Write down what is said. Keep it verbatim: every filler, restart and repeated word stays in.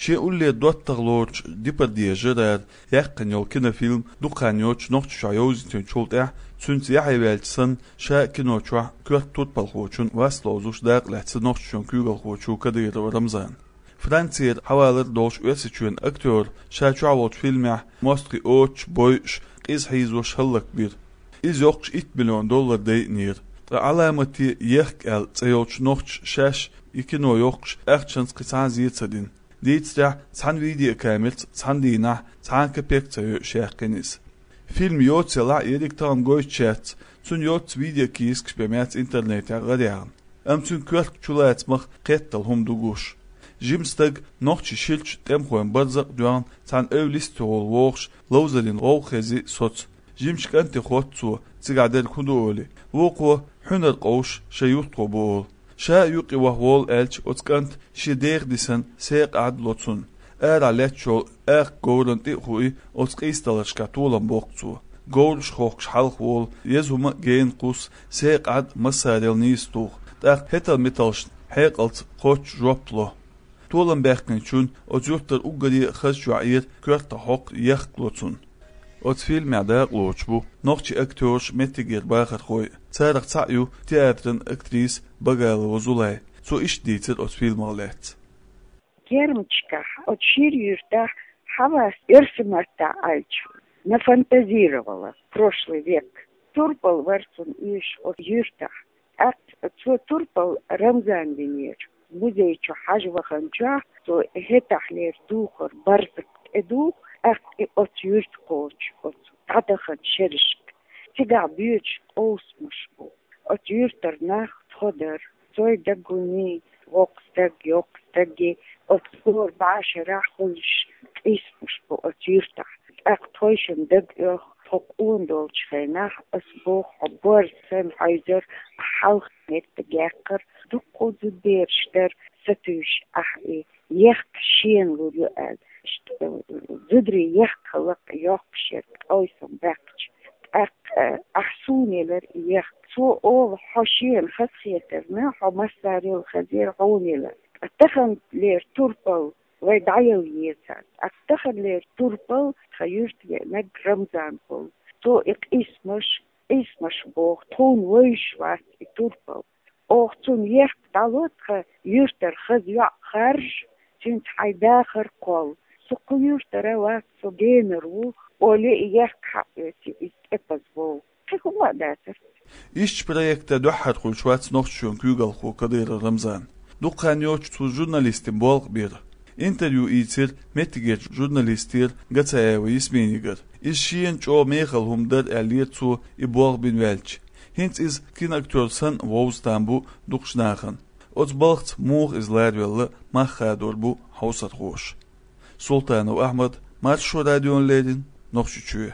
Шен уллера доттагӀа лоручу Депардье Жерара яьккхина йолу кинофильм дукха хан йоццуш Нохчийчохь йовзийтинчул тӀаьхьа, цуьнца яхье ваьлча санна, ша кино чохь коьрта турпалхочун вас ловзуш дакъа лаьцна нохчашчун куьйгалхочо Кадыров Рамзана. Францера хьавалар долуш Оьрсийчоьнан актёр ша чохь волчу фильмехь мостагӀий оцуш, бойуш, къиза хьийзош хӀаллакбира. Иза йоккхуш итт миллион доллар дайинера. Ткъа «Ӏаламате ехк» аьлла цӀе йолчу нохчаша шаьш и кино йоккхуш ахчанца кхин цхьа а зен ца дина. Дийцарехь, цхьана видеокамерца цхьана дийнахь цхьа а капек ца йойуш яьккхина иза. Фильм йоццуш елахь а, ерриг тахана гойтуш яц, цуьнан йоццуш видеокийсакаш бен яц интернетехь гӀараяьхна. Амма цуьнан коьрта чулацамах кхеттал хӀума ду гуш. Жима стаг нохчийн ширачу тӀемахойн барзакъ а доьгӀна, цхьана эвла йисте волу вогӀуш, ловзарийн гӀовгӀа хези соцу. Жимачу кӀанте хотту цо, цигахь дерг хӀун ду олий. Вукхо хьуьнар къовсуш шайн юьртахо бу олу. Ша а юккъе ваха волу аьлча, оцу кӀанта шен деха дисина секха Ӏад ло цунна. Арахь летташ йолу акха говрана тӀе а хуий, оцу къийсадаларшкахь толам боккху цо. Говраш хохкуш хьалха волу, еза хӀума а гена кхуссу, секха Ӏад массарел нийса туху. ТӀаккха хӀетал-металшна хьекъалца кхоччуш жоп ло. Толам баьккхинчунна оцу юьртара уггаре а хазачохь эр коьртах хьокху ехк ло цунна. Оцу фильмехь дакъалоцуш бу нохчийн актёраш, меттигера бахархой. Царах цхьаъ ю театран актриса Багалова Зулай. Цо иштта дийцира оцу фильмах лаьцна. Гермчкахь, оцу шира юьртахь, хьавас оьрсийн маттахь аьлча, нафантазировала прошлый век. Турпал вара цунна оьшуш оцу юьртахь. ТӀаккха цо турпал Рамзана винера. Музей чу хьажа ваханчохь, цо хӀетахьлера духар барзакъ тӀедуху, тӀаккха и оцу юьрта кхочу, оцу дӀадахана шерашка. Цигахь боьдуш къовсамаш бу. Оцу юьртара нах тхо дара. Цой даггуний, воккха стаг, йоккха стаге, оцу хӀора башарахь хуьлуш къийсамаш бу оцу юьртахь. ТӀаккха тхойшинна дага оьху, тхо къона долчу хенахь, ас боху, хьо борз санна хьийзара, хьалха меттиг яьккхира, дуккха а зудабераш дара, сатуьйсуш ахь и ехк шена лур ю аьлла. Ш-, зударий ехк хала йоккхуш яра, къовсам баьккхича. ТӀаккха ахь суна елира и ехк. Цо олу, хьо шена хазахетарна, хьо массарел хазера хьуна елира. Ткъа таханлера турпал вай дӀаяла еза. Ас таханлера турпал тхан юьрта веанарг Рамзан волу. Цо и къийсамаш, къийсамаш боху, тхуна вевзаш вац и турпал. Оха цунна ехк дӀало, тхан юьртара хаза йоӀ харжа, цуьнца хьайн дахар кхолла. Со кху юьртара вац, со генара ву, олий, и ехк хьаоьций, иза тӀепаза вов. Кхин хӀума а дацара. Иштта проекта дуьххьара хуьлуш вац нохчашчун куьйгалхо Кадыров Рамзан. Дукха хан йоццуш цо журналистийн болх бира. Интервью ийцира меттигерчу журналистера Гацаева Ясминигара. Иза шена чӀогӀа мехала хӀума дара аьллера цо и болх бина ваьлча. ХӀинца иза киноактёр санна вовза там бу дукхачу нахана. Оцу балхаца муха иза ларавелла, мах хадор бу хьовсархоша. Султанов Ахьмад, Маршо радиона леррина, Нохчийчоь.